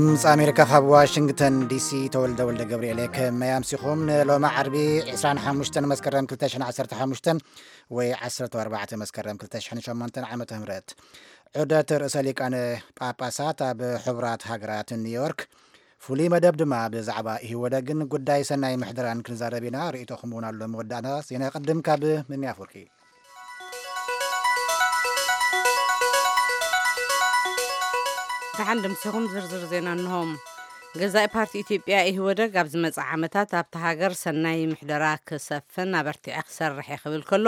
ድምፂ ኣሜሪካ ካብ ዋሽንግተን ዲሲ። ተወልደ ወልደ ገብርኤል። ከመይ ኣምሲኹም? ንሎሚ ዓርቢ ዕስራን ሓሙሽተን መስከረም ክልተ ሽሕን ዓሰርተ ሓሙሽተን ወይ ዓሰርተ ኣርባዕተ መስከረም ክልተ ሽሕን ሸሞንተን ዓመተ ምህረት። ዑደት ርእሰ ሊቃነ ጳጳሳት ኣብ ሕቡራት ሃገራት ኒውዮርክ። ፍሉይ መደብ ድማ ብዛዕባ ኢህወደግን ጉዳይ ሰናይ ምሕደራን ክንዛረብ ኢና። ርእይቶኹም እውን ኣሎ። መወዳእታ ዜና ይቐድም ካብ ምምያ ኣፍወርቂ። ደሓን ድምሲኹም። ዝርዝር ዜና እንሆ። ገዛኢ ፓርቲ ኢትዮጵያ ኢህወደግ ኣብ ዝመጽእ ዓመታት ኣብቲ ሃገር ሰናይ ምሕደራ ክሰፍን ኣበርቲዐ ክሰርሕ እየ ክብል ከሎ፣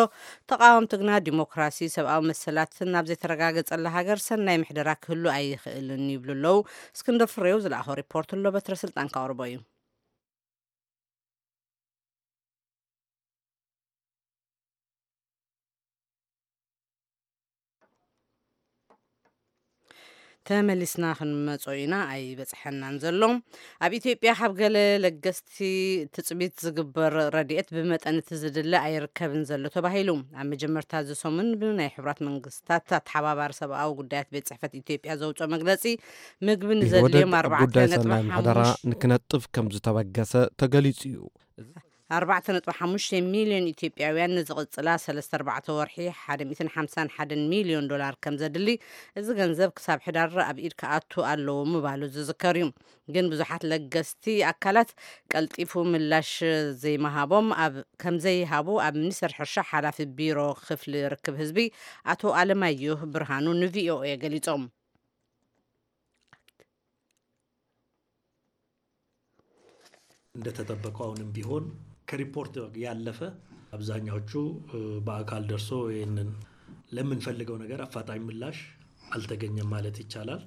ተቓወምቲ ግና ዲሞክራሲ፣ ሰብኣዊ መሰላትን ኣብ ዘይተረጋገጸላ ሃገር ሰናይ ምሕደራ ክህሉ ኣይኽእልን ይብሉ ኣለዉ። እስክንድር ፍሬው ዝለኣኾ ሪፖርት ኣሎ፣ በትረ ስልጣን ከቕርቦ እዩ። ተመሊስና ክንመጾ ኢና፣ ኣይበጽሐናን ዘሎ። ኣብ ኢትዮጵያ ካብ ገለ ለገስቲ ትጽቢት ዝግበር ረድኤት ብመጠን እቲ ዝድለ ኣይርከብን ዘሎ ተባሂሉ። ኣብ መጀመርታ እዚ ሰሙን ብናይ ሕቡራት መንግስታት ኣተሓባባሪ ሰብኣዊ ጉዳያት ቤት ጽሕፈት ኢትዮጵያ ዘውፅኦ መግለጺ፣ ምግቢ ንዘድልዮም ኢህወደግ ኣብ ጉዳይ ሰናይ ምሕደራ ኣርባዕተ ነጥቢ ሓሙሽተ ንክነጥፍ ከም ዝተበገሰ ተገሊጹ እዩ። ኣርባዕተ ነጥቢ ሓሙሽተ ሚልዮን ኢትዮጵያውያን ንዝቕጽላ ሰለስተ ኣርባዕተ ወርሒ ሓደ ሚእትን ሓምሳን ሓደን ሚልዮን ዶላር ከም ዘድሊ፣ እዚ ገንዘብ ክሳብ ሕዳር ኣብ ኢድ ክኣቱ ኣለዎ ምባሉ ዝዝከር እዩ። ግን ብዙሓት ለገስቲ ኣካላት ቀልጢፉ ምላሽ ዘይምሃቦም ኣብ ከም ዘይሃቡ ኣብ ሚኒስቴር ሕርሻ ሓላፊ ቢሮ ክፍሊ ርክብ ህዝቢ ኣቶ ኣለማየሁ ብርሃኑ ንቪኦኤ ገሊጾም። እንደተጠበቀው አሁንም ቢሆን ከሪፖርት ያለፈ አብዛኛዎቹ በአካል ደርሶ ይህንን ለምንፈልገው ነገር አፋጣኝ ምላሽ አልተገኘም ማለት ይቻላል።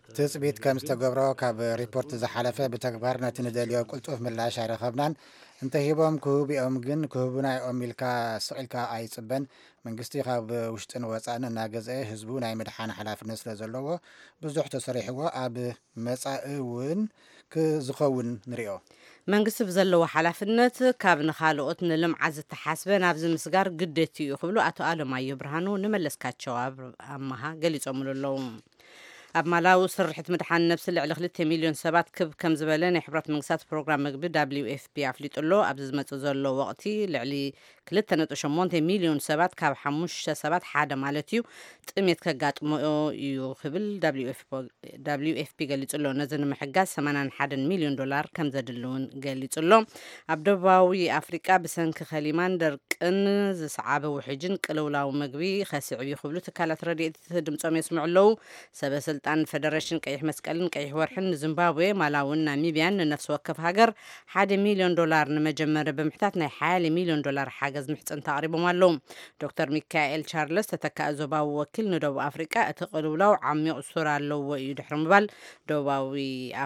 ትጽቢት ከም ዝተገብሮ ካብ ሪፖርት ዝሓለፈ ብተግባር ነቲ ንደልዮ ቅልጡፍ ምላሽ ኣይረኸብናን። እንተሂቦም ክህቡ እዮም፣ ግን ክህቡና እዮም ኢልካ ስቕ ኢልካ ኣይጽበን። መንግስቲ ካብ ውሽጥን ወጻእን እናገዝአ ህዝቡ ናይ ምድሓን ሓላፍነት ስለ ዘለዎ ብዙሕ ተሰሪሕዎ ኣብ መጻኢ እውን ክዝኸውን ንሪኦ። መንግስቲ ብዘለዎ ሓላፍነት ካብ ንኻልኦት ንልምዓት ዝተሓስበ ናብዚ ምስጋር ግደት እዩ ክብሉ ኣቶ ኣለማዮ ብርሃኑ ንመለስካቸው ኣብ ኣመሃ ገሊጾምሉ ኣለዉ። ኣብ ማላዊ ስርሕት ምድሓን ነብሲ ልዕሊ ክልተ ሚልዮን ሰባት ክብ ከም ዝበለ ናይ ሕብረት መንግስታት ፕሮግራም ምግቢ W F P ኣፍሊጡ ኣሎ። ኣብዚ ዝመጽእ ዘሎ ወቕቲ ልዕሊ ክልተ ነጥቢ ሸሞንተ ሚልዮን ሰባት ካብ ሓሙሽተ ሰባት ሓደ ማለት እዩ ጥሜት ከጋጥሞ እዩ ክብል W F P ገሊጹ ኣሎ። ነዚ ንምሕጋዝ ሰማንያን ሓደን ሚልዮን ዶላር ከም ዘድሊ እውን ገሊጹ ኣሎ። ኣብ ደቡባዊ ኣፍሪቃ ብሰንኪ ከሊማን ደርቅን ዝሰዓበ ውሕጅን ቅልውላው ምግቢ ከስዕብ እዩ ክብሉ ትካላት ረድኤት ድምጾም የስምዑ ኣለዉ። ሰበ ስልጣን ፈደረሽን ቀይሕ መስቀልን ቀይሕ ወርሕን ንዚምባብዌ፣ ማላውን ናሚብያን ንነፍሲ ወከፍ ሃገር ሓደ ሚልዮን ዶላር ንመጀመሪ ብምሕታት ናይ ሓያለ ሚልዮን ዶላር ሓገዝ ምሕጽንታ ኣቕሪቦም ኣለዉ። ዶክተር ሚካኤል ቻርለስ ተተካኢ ዞባዊ ወኪል ንደቡብ ኣፍሪቃ እቲ ቅልውላው ዓሚቕ ሱር ኣለዎ እዩ ድሕሪ ምባል፣ ደቡባዊ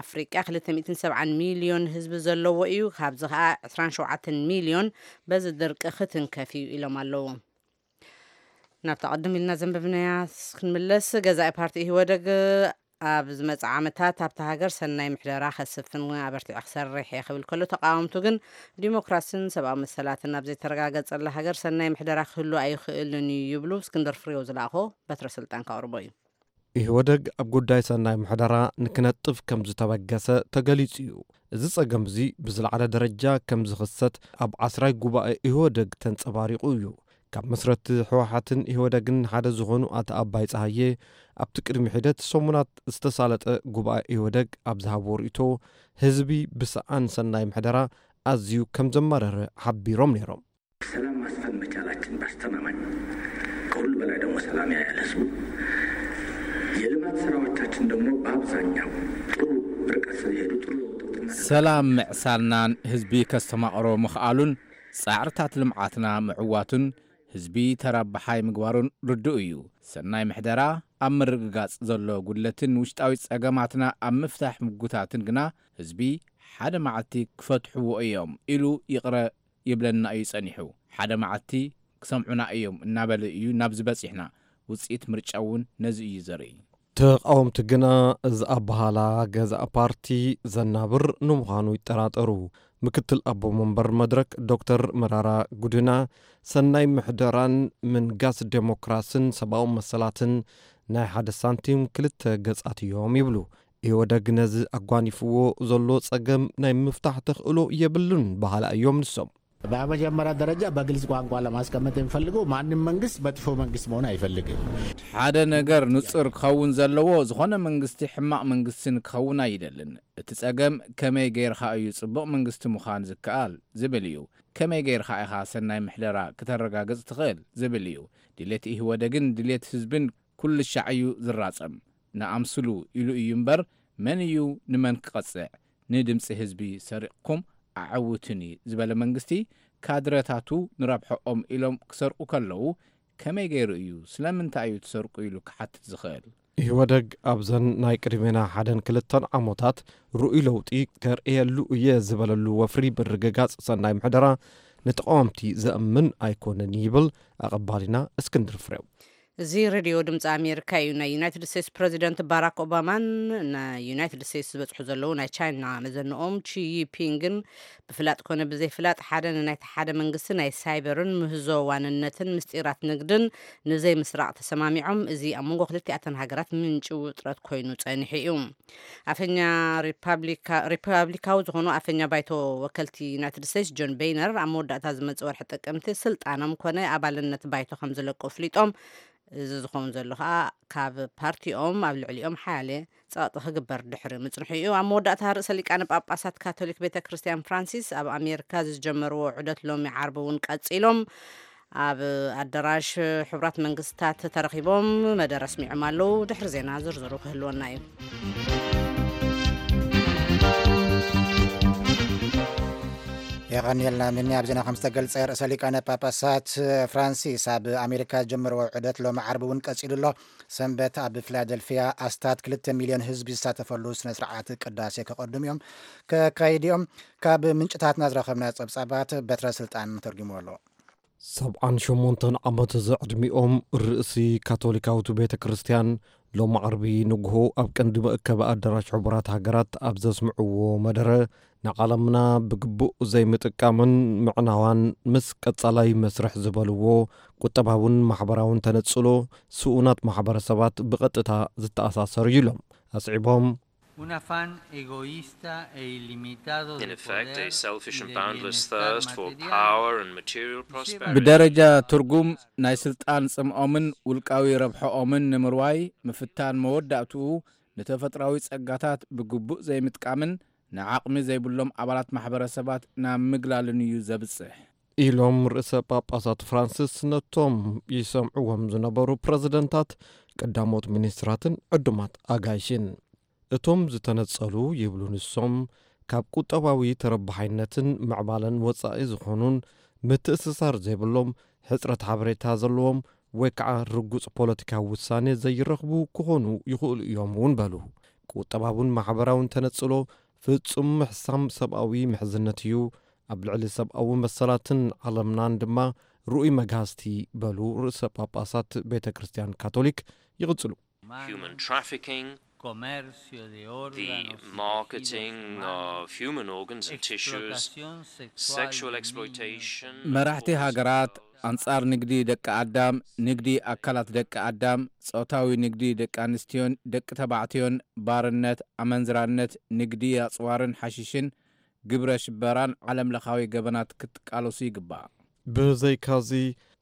ኣፍሪቃ ክልተ ሚእትን ሰብዓን ሚልዮን ህዝቢ ዘለዎ እዩ፣ ካብዚ ከኣ ዕስራን ሸውዓተን ሚልዮን በዚ ድርቂ ክትንከፍ እዩ ኢሎም ኣለዉ። ናብታ ቅድም ኢልና ዘንበብናያ ክንምለስ፣ ገዛኢ ፓርቲ ኢህወደግ ኣብ ዝመጽእ ዓመታት ኣብታ ሃገር ሰናይ ምሕደራ ከስፍን ኣበርቲዐ ክሰርሕ እየ ክብል ከሎ፣ ተቃወምቱ ግን ዲሞክራሲን ሰብኣዊ መሰላትን ኣብ ዘይተረጋገጸላ ሃገር ሰናይ ምሕደራ ክህሉ ኣይኽእልን እዩ ይብሉ። እስክንድር ፍሬው ዝለኣኾ በትረ ስልጣን ከቕርቦ እዩ። ኢህወደግ ኣብ ጉዳይ ሰናይ ምሕደራ ንክነጥፍ ከም ዝተበገሰ ተገሊጹ እዩ። እዚ ጸገም እዚ ብዝለዓለ ደረጃ ከም ዝኽሰት ኣብ ዓስራይ ጉባኤ ኢህወደግ ተንጸባሪቑ እዩ። ካብ መስረቲ ህወሓትን ኢህወደግን ሓደ ዝኾኑ ኣቶ ኣባይ ጸሃየ ኣብቲ ቅድሚ ሒደት ሰሙናት ዝተሳለጠ ጉባኤ ኢህወደግ ኣብ ዝሃብዎ ርእይቶ ህዝቢ ብሰኣን ሰናይ ምሕደራ ኣዝዩ ከም ዘማረረ ሓቢሮም ነይሮም። ሰላም ማስፈን መቻላችን በአስተማማኝ ከሁሉ በላይ ደግሞ ሰላም ያያል ህዝቡ የልማት ስራዎቻችን ደግሞ በአብዛኛው ጥሩ ርቀት ስለሄዱ ጥሩ ለውጥ እናደረገ ሰላም ምዕሳልናን ህዝቢ ከስተማቕሮ ምኽኣሉን ጻዕርታት ልምዓትና ምዕዋቱን ህዝቢ ተረባሓይ ምግባሩን ርዱእ እዩ። ሰናይ ምሕደራ ኣብ ምርግጋጽ ዘሎ ጉድለትን ውሽጣዊ ጸገማትና ኣብ ምፍታሕ ምጉታትን ግና ህዝቢ ሓደ መዓልቲ ክፈትሕዎ እዮም ኢሉ ይቕረ ይብለና እዩ ጸኒሑ። ሓደ መዓልቲ ክሰምዑና እዮም እናበለ እዩ ናብዚ በጺሕና። ውጽኢት ምርጫ እውን ነዚ እዩ ዘርኢ። ተቓወምቲ ግና እዚ ኣበሃላ ገዛእ ፓርቲ ዘናብር ንምዃኑ ይጠራጠሩ። ምክትል ኣቦ መንበር መድረክ ዶክተር መራራ ጉድና ሰናይ ምሕደራን ምንጋስ ዴሞክራስን ሰብኣዊ መሰላትን ናይ ሓደ ሳንቲም ክልተ ገጻት እዮም ይብሉ። ኢህወደግ ነዚ ኣጓኒፍዎ ዘሎ ጸገም ናይ ምፍታሕ ተኽእሎ የብሉን በሃላ እዮም ንሶም። በመጀመሪያ ደረጃ በግልጽ ቋንቋ ለማስቀመጥ የሚፈልገው ማንም መንግስት መጥፎ መንግስት መሆን አይፈልግም። ሓደ ነገር ንጹር ክኸውን ዘለዎ፣ ዝኾነ መንግስቲ ሕማቕ መንግስቲ ንክኸውን ኣይደልን። እቲ ጸገም ከመይ ገይርካ እዩ ጽቡቕ መንግስቲ ምዃን ዝከኣል ዝብል እዩ። ከመይ ገይርካ ኢኻ ሰናይ ምሕደራ ክተረጋግጽ ትኽእል ዝብል እዩ። ድሌት ኢህወደግን ድሌት ህዝብን ኩሉ ሻዕ እዩ ዝራጸም። ንኣምስሉ ኢሉ እዩ እምበር፣ መን እዩ ንመን ክቐጽዕ? ንድምጺ ህዝቢ ሰሪቕኩም ኣዐውቱኒ ዝበለ መንግስቲ፣ ካድረታቱ ንረብሐኦም ኢሎም ክሰርቁ ከለዉ፣ ከመይ ገይሩ እዩ፣ ስለምንታይ እዩ ትሰርቁ ኢሉ ክሓትት ዝኽእል? ኢህወደግ ኣብዘን ናይ ቅድሜና ሓደን ክልተን ዓሞታት ርኡይ ለውጢ ከርእየሉ እየ ዝበለሉ ወፍሪ ምርግጋጽ ሰናይ ምሕደራ ንተቓወምቲ ዘእምን ኣይኮነን ይብል ኣቐባሊና እስክንድር ፍሬው። እዚ ሬድዮ ድምፂ ኣሜሪካ እዩ። ናይ ዩናይትድ ስቴትስ ፕሬዚደንት ባራክ ኦባማን ናይ ዩናይትድ ስቴትስ ዝበፅሑ ዘለዉ ናይ ቻይና መዘንኦም ቺ ጂንፒንግን ብፍላጥ ኮነ ብዘይፍላጥ ሓደ ንናይቲ ሓደ መንግስቲ ናይ ሳይበርን ምህዞ ዋንነትን ምስጢራት ንግድን ንዘይምስራቕ ተሰማሚዖም። እዚ ኣብ መንጎ ክልቲኣተን ሃገራት ምንጪ ውጥረት ኮይኑ ጸኒሑ እዩ። ኣፈኛ ሪፓብሊካዊ ዝኾኑ ኣፈኛ ባይቶ ወከልቲ ዩናይትድ ስቴትስ ጆን ቤይነር ኣብ መወዳእታ ዝመጽእ ወርሒ ጥቅምቲ ስልጣኖም ኮነ ኣባልነት ባይቶ ከም ዝለቁ ኣፍሊጦም። እዚ ዝኸውን ዘሎ ከዓ ካብ ፓርቲኦም ኣብ ልዕሊኦም ሓያለ ጸቕጢ ክግበር ድሕሪ ምጽንሑ እዩ። ኣብ መወዳእታ ርእሰ ሊቃነ ጳጳሳት ካቶሊክ ቤተ ክርስቲያን ፍራንሲስ ኣብ ኣሜሪካ ዝጀመርዎ ዑደት ሎሚ ዓርቢ እውን ቀጺሎም ኣብ ኣዳራሽ ሕቡራት መንግስታት ተረኺቦም መደረ ኣስሚዖም ኣለዉ። ድሕሪ ዜና ዝርዝሩ ክህልወና እዩ። የቐንየልና። ምኒ ኣብ ዜና ከም ዝተገልጸ፣ ርእሰ ሊቃነ ጳጳሳት ፍራንሲስ ኣብ ኣሜሪካ ዝጀመርዎ ዑደት ሎሚ ዓርቢ እውን ቀጺሉ ኣሎ። ሰንበት ኣብ ፊላደልፊያ ኣስታት ክልተ ሚልዮን ህዝቢ ዝሳተፈሉ ስነ ስርዓት ቅዳሴ ከቐድሙ እዮም፣ ከካይድ እዮም። ካብ ምንጭታትና ዝረኸብና ጸብጻባት በትረ ስልጣን ተርጉሙ ኣሎ። ሰብዓን ሸሞንተን ዓመት ዘዕድሚኦም ርእሲ ካቶሊካዊት ቤተ ክርስቲያን ሎሚ ዓርቢ ንግሆ ኣብ ቀንዲ መእከቢ ኣዳራሽ ሕቡራት ሃገራት ኣብ ዘስምዕዎ መደረ፣ ንዓለምና ብግቡእ ዘይምጥቃምን ምዕናዋን ምስ ቀጻላይ መስርሕ ዝበልዎ ቁጠባውን ማሕበራውን ተነጽሎ ስኡናት ማሕበረሰባት ብቐጥታ ዝተኣሳሰር እዩ ኢሎም። ኣስዒቦም፣ Un afán egoísta e ilimitado In de effect, a poder selfish y and de boundless bienestar thirst for material. power and material prosperity. ብደረጃ ትርጉም ናይ ስልጣን ጽምኦምን ውልቃዊ ረብሐኦምን ንምርዋይ ምፍታን መወዳእትኡ ንተፈጥራዊ ጸጋታት ብግቡእ ዘይምጥቃምን ንዓቕሚ ዘይብሎም ኣባላት ማሕበረሰባት ናብ ምግላልን እዩ ዘብጽሕ። ኢሎም ርእሰ ጳጳሳት ፍራንሲስ ነቶም ይሰምዕዎም ዝነበሩ ፕረዚደንታት፣ ቀዳሞት ሚኒስትራትን ዕዱማት ኣጋይሽን። እቶም ዝተነጸሉ ይብሉ ንሶም፣ ካብ ቁጠባዊ ተረባሓይነትን ምዕባለን ወጻኢ ዝኾኑን ምትእስሳር ዘይብሎም፣ ሕጽረት ሓበሬታ ዘለዎም ወይ ከዓ ርጉጽ ፖለቲካዊ ውሳኔ ዘይረኽቡ ክኾኑ ይኽእሉ እዮም እውን በሉ። ቁጠባውን ማሕበራውን ተነጽሎ ፍጹም ምሕሳም ሰብኣዊ ምሕዝነት እዩ፣ ኣብ ልዕሊ ሰብኣዊ መሰላትን ዓለምናን ድማ ርኡይ መግሃስቲ በሉ ርእሰ ጳጳሳት ቤተ ክርስቲያን ካቶሊክ ይቕጽሉ። Human trafficking, Comercio de the órganos y marketing tejidos humanos, of human organs and tissues, explotación sexual sexual de exploitation, niños, መራሕቲ forced ሃገራት ኣንጻር ንግዲ ደቂ ኣዳም፣ ንግዲ ኣካላት ደቂ ኣዳም፣ ጾታዊ ንግዲ ደቂ ኣንስትዮን ደቂ ተባዕትዮን፣ ባርነት፣ ኣመንዝራነት፣ ንግዲ ኣጽዋርን ሓሽሽን፣ ግብረ ሽበራን ዓለም ለኻዊ ገበናት ክትቃለሱ ይግባእ። ብዘይካዚ፣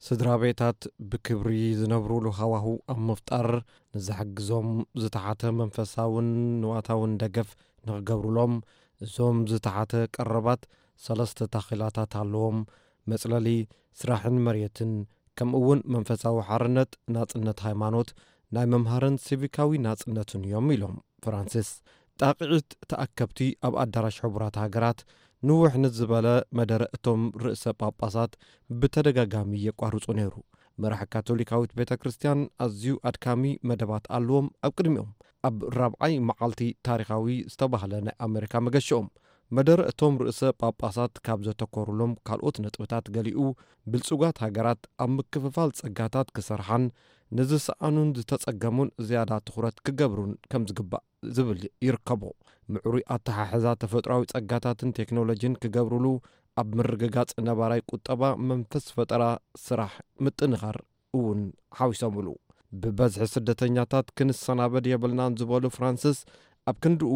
ስድራ ቤታት ብክብሪ ዝነብሩሉ ሃዋህው ኣብ ምፍጣር ንዝሕግዞም ዝተሓተ መንፈሳውን ንዋታውን ደገፍ ንኽገብሩሎም፣ እዞም ዝተሓተ ቀረባት ሰለስተ ታኺላታት ኣለዎም። መጽለሊ፣ ስራሕን መሬትን፣ ከምኡ እውን መንፈሳዊ ሓርነት፣ ናጽነት ሃይማኖት፣ ናይ መምሃርን ሲቪካዊ ናጽነትን እዮም ኢሎም ፍራንሲስ። ጣቕዒት ተኣከብቲ ኣብ ኣዳራሽ ሕቡራት ሃገራት ንውሕ ንዝበለ መደረ እቶም ርእሰ ጳጳሳት ብተደጋጋሚ የቋርጹ ነይሩ። መራሒ ካቶሊካዊት ቤተ ክርስቲያን ኣዝዩ ኣድካሚ መደባት ኣለዎም ኣብ ቅድሚኦም። ኣብ ራብዓይ መዓልቲ ታሪኻዊ ዝተባህለ ናይ ኣሜሪካ መገሽኦም፣ መደረ እቶም ርእሰ ጳጳሳት ካብ ዘተኮሩሎም ካልኦት ነጥብታት ገሊኡ፣ ብልጹጋት ሃገራት ኣብ ምክፍፋል ጸጋታት ክሰርሓን ንዝሰኣኑን ዝተጸገሙን ዝያዳ ትኹረት ክገብሩን ከም ዝግባእ ዝብል ይርከቦ። ምዕሩይ ኣተሓሕዛ ተፈጥሮኣዊ ጸጋታትን ቴክኖሎጂን ክገብሩሉ፣ ኣብ ምርግጋጽ ነባራይ ቁጠባ መንፈስ ፈጠራ ስራሕ ምጥንኻር እውን ሓዊሶምሉ። ብበዝሒ ስደተኛታት ክንሰናበድ የብልናን ዝበሉ ፍራንሲስ፣ ኣብ ክንድኡ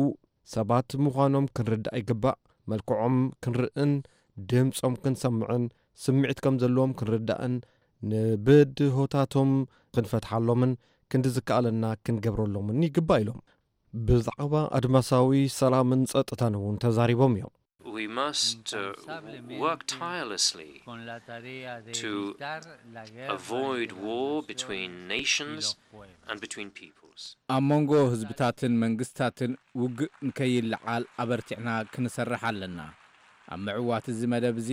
ሰባት ምዃኖም ክንርዳእ ይግባእ። መልክዖም ክንርእን ድምጾም ክንሰምዕን ስምዒት ከም ዘለዎም ክንርዳእን ንብድሆታቶም ክንፈትሓሎምን ክንዲ ዝከኣለና ክንገብረሎምን ይግባእ ኢሎም። ብዛዕባ ኣድማሳዊ ሰላምን ጸጥታን እውን ተዛሪቦም እዮም። We must uh, work tirelessly to avoid war between nations and between peoples. ኣብ መንጎ ህዝብታትን መንግስታትን ውግእ ንከይለዓል ኣበርቲዕና ክንሰርሕ ኣለና። ኣብ ምዕዋት እዚ መደብ እዚ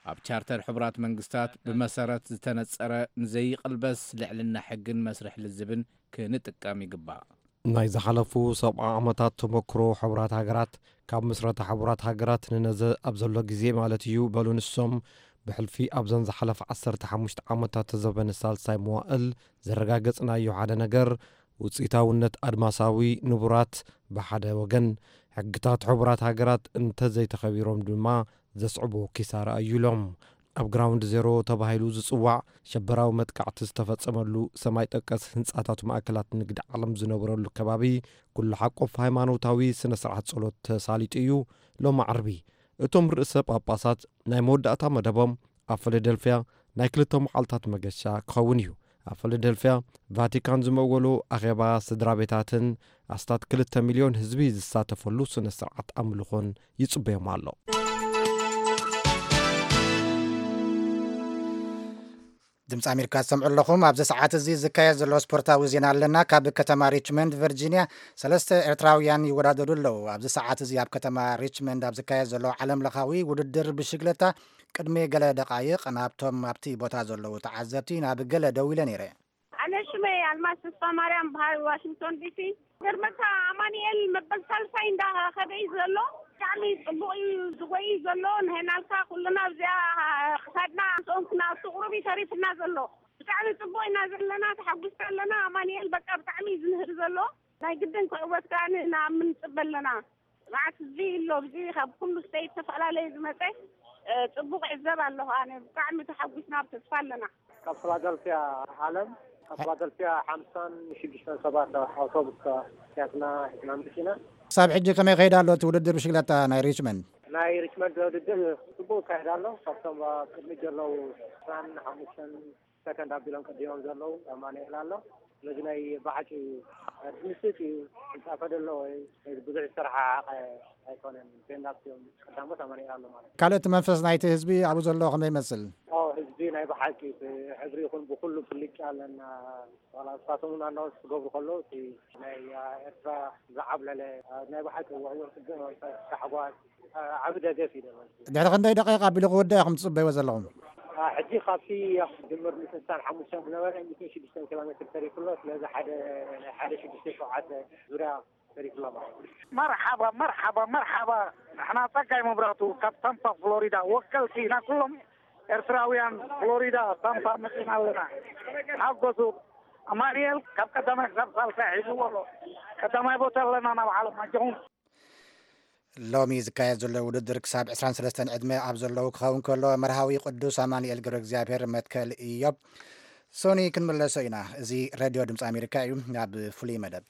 ኣብ ቻርተር ሕቡራት መንግስታት ብመሰረት ዝተነጸረ ንዘይቕልበስ ልዕልና ሕግን መስርሕ ልዝብን ክንጥቀም ይግባእ። ናይ ዝሓለፉ ሰብዓ ዓመታት ተመክሮ ሕቡራት ሃገራት፣ ካብ ምስረታ ሕቡራት ሃገራት ንነዘ ኣብ ዘሎ ግዜ ማለት እዩ፣ በሉ ንሶም፣ ብሕልፊ ኣብዘን ዝሓለፈ ዓሰርተ ሓሙሽተ ዓመታት ተዘበነ ሳልሳይ መዋእል ዘረጋገጽናዮ ሓደ ነገር፣ ውጽኢታውነት ኣድማሳዊ ንቡራት ብሓደ ወገን፣ ሕግታት ሕቡራት ሃገራት እንተዘይተኸቢሮም ድማ ዘስዕቦ ኪሳራ እዩ ኢሎም። ኣብ ግራውንድ ዜሮ ተባሂሉ ዝጽዋዕ ሸበራዊ መጥቃዕቲ ዝተፈጸመሉ ሰማይ ጠቀስ ህንጻታት ማእከላት ንግዲ ዓለም ዝነበረሉ ከባቢ፣ ኩሉ ሓቆፍ ሃይማኖታዊ ስነ ስርዓት ጸሎት ተሳሊጡ እዩ። ሎሚ ዓርቢ እቶም ርእሰ ጳጳሳት ናይ መወዳእታ መደቦም ኣብ ፊላደልፍያ ናይ ክልተ መዓልታት መገሻ ክኸውን እዩ። ኣብ ፊላደልፍያ ቫቲካን ዝመወሉ ኣኼባ ስድራ ቤታትን ኣስታት ክልተ ሚልዮን ህዝቢ ዝሳተፈሉ ስነ ስርዓት ኣምልኾን ይጽበዮም ኣሎ። ድምፂ ኣሜሪካ ትሰምዑ ኣለኹም። ኣብዚ ሰዓት እዚ ዝካየድ ዘሎ ስፖርታዊ ዜና ኣለና። ካብ ከተማ ሪችመንድ ቨርጂኒያ ሰለስተ ኤርትራውያን ይወዳደሩ ኣለዉ። ኣብዚ ሰዓት እዚ ኣብ ከተማ ሪችመንድ ኣብ ዝካየድ ዘሎ ዓለም ለኻዊ ውድድር ብሽግለታ ቅድሚ ገለ ደቃይቕ ናብቶም ኣብቲ ቦታ ዘለዉ ተዓዘብቲ ናብ ገለ ደው ኢለ ነይረ። ኣነ ሽመይ ኣልማዝ ተስፋ ማርያም በሃል ዋሽንግቶን ዲሲ። ገርመካ ኣማኑኤል መበል ሳልሳይ እንዳኸደ እዩ ዘሎ። ብጣዕሚ ጽቡቕ እዩ ዝጎይ ዘሎ። ንህናልካ ኩልና ኣብዚኣ ክሳድና ጾምክና ኣብቲ ቁሩብ እዩ ተሪፍና ዘሎ። ብጣዕሚ ጽቡቕ ኢና ዘለና፣ ተሓጒስና ኣለና። ኣማኑኤል በቃ ብጣዕሚ እዩ ዝምህር ዘሎ። ናይ ግድን ክዕወት ከኣ ንኣምን ንጽበ ኣለና። መዓት ህዝቢ ኣሎ ኣብዚ ካብ ኩሉ ስቴት ዝተፈላለየ ዝመጸ ጽቡቕ ዕዘብ ኣለኹ። ኣነ ብጣዕሚ ተሓጒስና ኣብ ተስፋ ኣለና። ካብ ፊላደልፊያ ዓለም ካብ ፊላደልፊያ ሓምሳን ሽዱሽተን ሰባት ኣውቶቡስ ሒዝና ሒዝና ምርኪና። ክሳብ ሕጂ ከመይ ከይዳ ኣሎ እቲ ውድድር ብሽግለታ ናይ ሪችመንድ? ናይ ሪችመንድ ውድድር ጽቡቅ ይካየድ ኣሎ። ካብቶም ቅድሚ ዘለዉ ዕስራን ሓሙሽተን ሰከንድ ኣቢሎም ቀዲሞም ዘለዉ ኣማኑኤል ኣሎ። ስለዚ ናይ ብሓቂ ድምስጥ እዩ። ዝጻፈ ደሎ ወይ ብዙሕ ዝተረሓሓቀ ኣይኮነን። ፔንዳክት እዮም ቀዳሞት ኣማኑኤል ኣሎ ማለት እዩ። ካልእ እቲ መንፈስ ናይቲ ህዝቢ ኣብኡ ዘሎ ከመይ ይመስል? ኦ ህዝቢ ናይ ብሓቂ ብሕብሪ ይኹን ብኩሉ ብልጫ ኣለና። ዋላ ንሳቶም እውን ኣናውንስ ክገብሩ ከለዉ እቲ ናይ ኤርትራ ዝዓብለለ ናይ ብሓቂ ውዕዉዕ ጽቡቕ መንፈስ ታሕጓስ ዓቢ ደገፍ እዩ ደሎ። ድሕሪ ክንደይ ደቂቕ ኣቢሉ ክውዳእ ኢኹም ትጽበይዎ ዘለኹም? ሕጂ ካብቲ ድምር ሚእትን ስሳን ሓሙሽተን ዝነበረ ሚእትን ሽዱሽተን ኪሎ ሜትር ተሪፉ ኣሎ። ስለዚ ሓደ ናይ ሓደ ሽዱሽተ ሸውዓተ ዙርያ ተሪፉ ኣሎ ማለት እዩ። መርሓባ መርሓባ መርሓባ። ንሕና ጸጋይ መብራህቱ ካብ ታምፓ ፍሎሪዳ ወከልቲ ኢና ኩሎም ኤርትራውያን ፍሎሪዳ ታምፓ መጺና ኣለና። ተሓጎሱ። ኣማኑኤል ካብ ቀዳማይ ክሳብ ሳልሳይ ሒዝዎ ኣሎ። ቀዳማይ ቦታ ኣለና ናብ ዓለም ኣጆኹም። ሎሚ ዝካየድ ዘሎ ውድድር ክሳብ ዕስራን ሰለስተን ዕድመ ኣብ ዘለዉ ክኸውን ከሎ መርሃዊ ቅዱስ ኣማኑኤል ገብረ እግዚኣብሔር መትከል ኢዮብ ሶኒ ክንምለሶ ኢና። እዚ ሬድዮ ድምፂ ኣሜሪካ እዩ። ናብ ፍሉይ መደብ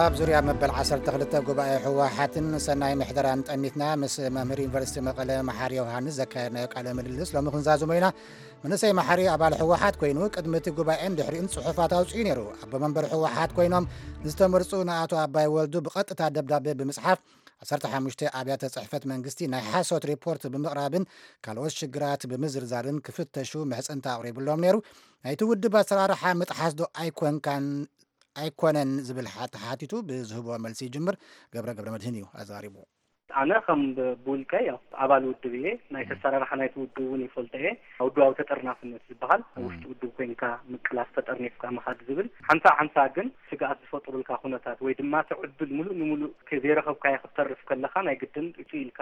ኣብ ዙርያ መበል ዓሰርተ ክልተ ጉባኤ ህወሓትን ሰናይ ምሕደራን ጠሚትና ምስ መምህር ዩኒቨርሲቲ መቐለ መሓሪ ዮሃንስ ዘካየድናዮ ቃለ ምልልስ ሎሚ ክንዛዝሞ ኢና። መንእሰይ መሓሪ ኣባል ህወሓት ኮይኑ ቅድሚ እቲ ጉባኤን ድሕሪኡን ፅሑፋት ኣውፅኡ ነይሩ። ኣቦ መንበር ህወሓት ኮይኖም ንዝተመርፁ ንኣቶ ኣባይ ወልዱ ብቐጥታ ደብዳቤ ብምፅሓፍ ዓሰርተ ሓሙሽተ ኣብያተ ፅሕፈት መንግስቲ ናይ ሓሶት ሪፖርት ብምቕራብን ካልኦት ሽግራት ብምዝርዛርን ክፍተሹ ምሕፅንታ ኣቕሪብሎም ነይሩ። ናይቲ ውድብ ኣሰራርሓ ምጥሓስ ዶ ኣይኮንካን ኣይኮነን ዝብል ሓ- ተሓቲቱ ብዝህቦ መልሲ ይጅምር። ገብረ ገብረ መድህን እዩ ኣዛሪቡ። ኣነ ከም ብ- ብውልቀይ ያው ኣባል ውድብ እየ። ናይ ተሰራርሓ ናይቲ ውድብ እውን ይፈልጦ እየ። ውድባዊ ተጠርናፍነት ዝበሃል ኣብ ውሽጢ ውድብ ኮይንካ ምቅላስ ተጠርኒፍካ ምኻድ ዝብል ሓምሳ ሓምሳ ግን ስግኣት ዝፈጥሩልካ ኩነታት ወይ ድማ እቲ ዕድል ሙሉእ ንሙሉእ ከ- ዘይረኸብካዮ ክትተርፍ ከለኻ ናይ ግድን እቱ ኢልካ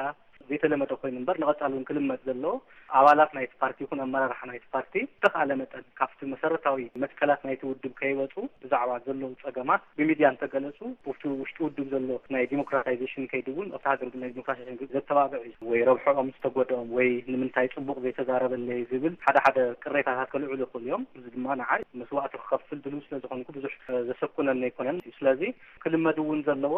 ዘይተለመደ ኮይኑ እምበር ንቐፃሊ እውን ክልመድ ዘለዎ ኣባላት ናይቲ ፓርቲ ይኹን ኣመራርሓ ናይቲ ፓርቲ ብተኻለ መጠን ካብቲ መሰረታዊ መትከላት ናይቲ ውድብ ከይወፁ ብዛዕባ ዘለዉ ፀገማት ብሚድያ እንተገለፁ፣ ኣብቲ ውሽጢ ውድብ ዘሎ ናይ ዲሞክራታይዜሽን ከይዲ እውን ኣብቲ ሃገር ናይ ዲሞክራታይዜሽን ዘተባብዕ እዩ። ወይ ረብሕኦም ዝተጎድኦም ወይ ንምንታይ ፅቡቕ ዘይተዛረበለይ ዝብል ሓደ ሓደ ቅሬታታት ከልዕሉ ይኽእሉ እዮም። እዚ ድማ ንዓይ መስዋእቲ ክኸፍል ድልው ስለ ዝኾንኩ ብዙሕ ዘሰኩነኒ ኣይኮነን። ስለዚ ክልመድ እውን ዘለዎ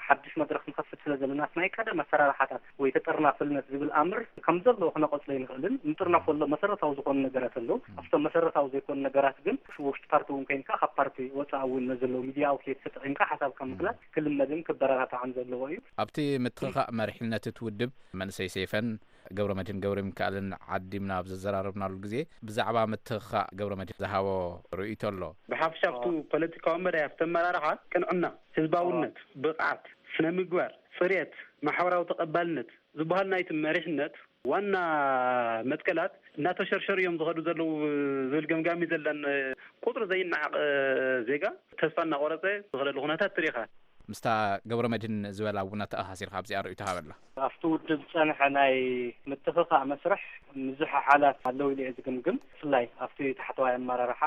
ሓድሽ መድረኽ ንኸፍት ስለ ዘለና ናይ ቀደም ኣሰራርሓታት ወይ ተጠርናፍነት ዝብል ኣምር ከም ዘለዎ ክነቐፅሎ ይንኽእልን ንጥርነፈሎ መሰረታዊ ዝኾኑ ነገራት ኣለዉ። ኣብቶም መሰረታዊ ዘይኮኑ ነገራት ግን ውሽጢ ፓርቲ እውን ኮይንካ ካብ ፓርቲ ወፃኢ እውን ነዘለዉ ሚድያ ኣውትሌት ተጠቒምካ ሓሳብካ ምግላፅ ክልመድን ክበረታታዕን ዘለዎ እዩ። ኣብቲ ምትኽኻእ መሪሕነት እቲ ውድብ መንእሰይ ሰይፈን ገብረ መድህን ገብረ ሚካኤልን ዓዲምና ኣብ ዘዘራረብናሉ ግዜ ብዛዕባ ምትኽኻእ ገብረ መድህን ዝሃቦ ርእይቶ ኣሎ። ብሓፈሻ ኣብቲ ፖለቲካዊ መዳይ ኣብቲ ኣመራርሓ ቅንዕና፣ ህዝባውነት፣ ብቕዓት፣ ስነ ምግባር፣ ፅሬት፣ ማሕበራዊ ተቐባልነት ዝበሃል ናይቲ መሪሕነት ዋና መትከላት እናተሸርሸሩ እዮም ዝኸዱ ዘለዉ ዝብል ገምጋሚ ዘለን ቁፅሪ ዘይነዓቕ ዜጋ ተስፋ እናቆረፀ ዝኸደሉ ኩነታት ትሪኢኻ። ምስታ ገብረ መድህን ዝበላ እውን ኣተኣሳሲርካ ኣብዚኣ ርእይቶ ሃበላ። ኣብቲ ውድብ ዝፀንሐ ናይ ምትኽኻእ መስርሕ ምዝሕሓላት ኣለዉ ኢለ እየ ዝግምግም። ብፍላይ ኣብቲ ታሕተዋይ ኣመራርሓ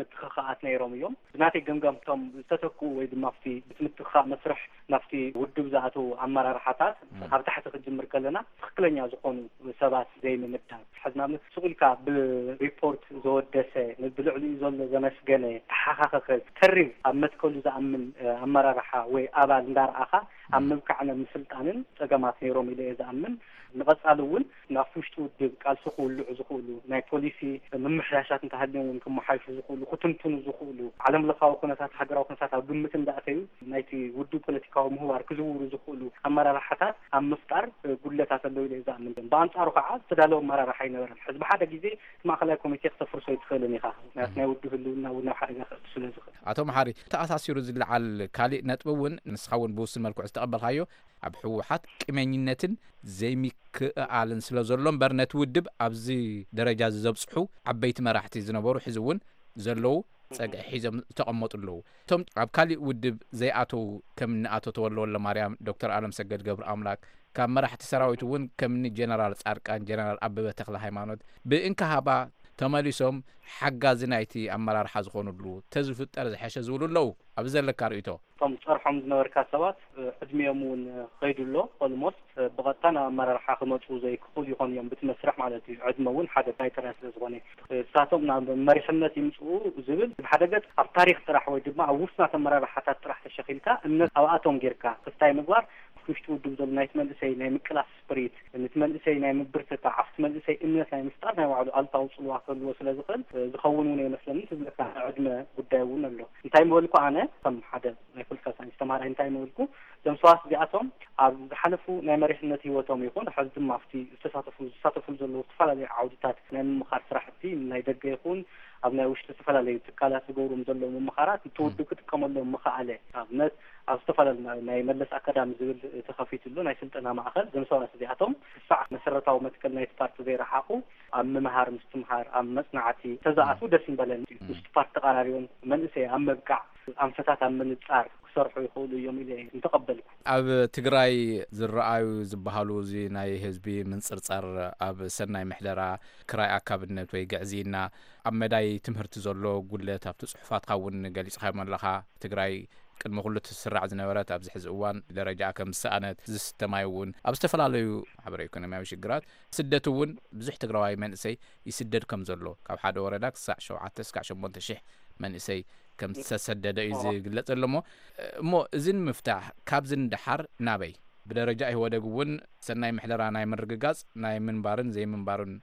ምትኽኻኣት ነይሮም እዮም። ብናተይ ገምጋም እቶም ዝተተክኡ ወይ ድማ ኣብቲ እቲ ምትኽኻእ መስርሕ ናብቲ ውድብ ዝኣተዉ ኣመራርሓታት ካብ ታሕቲ ክጅምር ከለና ትኽክለኛ ዝኾኑ ሰባት ዘይምምዳብ። ሕዚ ንኣብነት ስቕ ኢልካ ብሪፖርት ዘወደሰ፣ ብልዕሊኡ ዘሎ ዘመስገነ፣ ተሓኻኸኸ፣ ተሪር ኣብ መትከሉ ዝኣምን ኣመራርሓ ወይ ኣባል እንዳርኣኻ ኣብ ምብቃዕን ኣብ ምስልጣንን ፀገማት ነይሮም ኢለ እየ ዝኣምን። ንቐፃሊ እውን ናብቲ ውሽጢ ውድብ ቃልሲ ክውልዑ ዝኽእሉ ናይ ፖሊሲ ምምሕያሻት እንተሃልዮም እውን ክመሓይሹ ዝኽእሉ፣ ክትንትኑ ዝኽእሉ፣ ዓለም ለኻዊ ኩነታት፣ ሃገራዊ ኩነታት ኣብ ግምት እንዳእተዩ ናይቲ ውድብ ፖለቲካዊ ምህዋር ክዝውሩ ዝኽእሉ ኣመራርሓታት ኣብ ምፍጣር ጉድለታት ኣለዉ ኢለ እየ ዝኣምን። ብኣንፃሩ ከዓ ዝተዳለወ ኣመራርሓ ኣይነበረን። ሕዚ ብሓደ ግዜ እቲ ማእኸላይ ኮሚቴ ክተፍርሶ ኣይትኽእልን ኢኻ። ምክንያቱ ናይ ውድብ ህልውና እውን ናብ ሓደጋ ከእቱ ስለ ዝኽእል። ኣቶ መሓሪ፣ ተኣሳሲሩ ዝለዓል ካሊእ ነጥቢ እውን ንስኻ እውን ብውሱን መልክዑ ዝተቐበልካዮ ኣብ ህወሓት ቂመኝነትን ዘይምክእኣልን ስለ ዘሎ እምበር ነቲ ውድብ ኣብዚ ደረጃ እዚ ዘብፅሑ ዓበይቲ መራሕቲ ዝነበሩ ሕዚ እውን ዘለዉ ፀግዒ ሒዞም ዝተቐመጡ ኣለዉ። እቶም ኣብ ካሊእ ውድብ ዘይኣተዉ ከም እኒ ኣቶ ተወልደ ወልደማርያም፣ ዶክተር ኣለምሰገድ ገብረኣምላክ፣ ካብ መራሕቲ ሰራዊት እውን ከም እኒ ጀነራል ፃድቃን፣ ጀነራል ኣበበ ተክለ ሃይማኖት ብእንካሃባ ተመሊሶም ሓጋዚ ናይቲ ኣመራርሓ ዝኾኑሉ ተዝፍጠር ዝሐሸ ዝብሉ ኣለዉ። ኣብዚ ዘለካ ርእይቶ? እቶም ጸርሖም ዝነበርካ ሰባት ዕድሚኦም እውን ኸይዱ ኣሎ። ኦልሞስት ብቐጥታ ናብ ኣመራርሓ ክመፁ ዘይክኽእሉ ይኾኑ እዮም፣ ብቲ መስርሕ ማለት እዩ። ዕድመ እውን ሓደ ክራይተርያ ስለ ዝኾነ እዩ። እሳቶም ናብ መሪሕነት ይምፅኡ ዝብል ብሓደ ገፅ ኣብ ታሪኽ ጥራሕ ወይ ድማ ኣብ ውሱናት ኣመራርሓታት ጥራሕ ተሸኺልካ እምነት ኣብኣቶም ጌርካ ክስታይ ምግባር ውሽጢ ውድብ ዘሎ ናይቲ መንእሰይ ናይ ምቅላስ ስፕሪት፣ ነቲ መንእሰይ ናይ ምብርትታዕ፣ ኣብቲ መንእሰይ እምነት ናይ ምፍጣር ናይ ባዕሉ ኣሉታዊ ጽልዋ ክህልዎ ስለ ዝኽእል፣ እ፣ ዝኸውን እውን ኣይመስለኒ። እቲ ዝብለካ ናይ ዕድመ ጉዳይ እውን ኣሎ። እንታይ ምበልኩ ኣነ፣ ከም ሓደ ናይ ፖለቲካል ሳይንስ ተማሃራይ እንታይ ምበልኩ፣ እዞም ሰባት እዚኣቶም ኣብ ዝሓለፉ ናይ መሪሕነት ህይወቶም ይኹን፣ ሕዚ ድማ ኣብቲ ዝተሳተፉ፣ ዝሳተፉሉ ዘለዉ ዝተፈላለዩ ዓውድታት ናይ ምምኻር ስራሕቲ፣ ናይ ደገ ይኹን ኣብ ናይ ውሽጢ ዝተፈላለዩ ትካላት ዝገብሩም ዘለዉ ምምኻራት፣ እቲ ውድብ ክጥቀመሎም ምኸኣለ። ኣብነት፣ ኣብ ዝተፈላለዩ ናይ፣ ናይ መለስ ኣካዳሚ ዝብል ተኸፊቱ ኣሎ፣ ናይ ስልጠና ማእከል። እዞም ሰባት እዚኣቶም ክሳዕ መሰረታዊ መትከል ናይቲ ፓርቲ ዘይረሓቑ፣ ኣብ ምምሃር ምስትምሃር፣ ኣብ መጽናዕቲ ተዝኣትዉ ደስ ምበለኒ። ምስቲ ፓርቲ ተቐራሪቦም መንእሰይ ኣብ ምብቃዕ፣ ኣንፈታት ኣብ ምንጻር ክሰርሑ ይኽእሉ እዮም ኢለ እየ ምተቐበልኩ። ኣብ ትግራይ ዝረኣዩ ዝበሃሉ እዚ ናይ ህዝቢ ምንጽርጻር ኣብ ሰናይ ምሕደራ፣ ክራይ ኣካብነት ወይ ግዕዝይና፣ ኣብ መዳይ ትምህርቲ ዘሎ ጉድለት ኣብቲ ጽሑፋትካ እውን ገሊጽካዮም ኣለኻ። ትግራይ ቅድሚ ኩሉ ትስራዕ ዝነበረት ኣብዚ ሕዚ እዋን ደረጃኣ ከም ዝሰኣነት፣ ዝስተ ማይ እውን ኣብ ዝተፈላለዩ ማሕበረ ኢኮኖሚያዊ ሽግራት፣ ስደት እውን ብዙሕ ትግራዋይ መንእሰይ ይስደድ ከም ዘሎ፣ ካብ ሓደ ወረዳ ክሳዕ ሸውዓተ እስካዕ ሸሞንተ ሽሕ መንእሰይ ከም ዝተሰደደ እዩ ዝግለጽ ዘሎ። እሞ፣ እሞ እዚ ንምፍታሕ ካብዚ ንደሓር ናበይ? ብደረጃ ኢህወደግ እውን ሰናይ ምሕደራ ናይ ምርግጋጽ ናይ ምንባርን ዘይምንባርን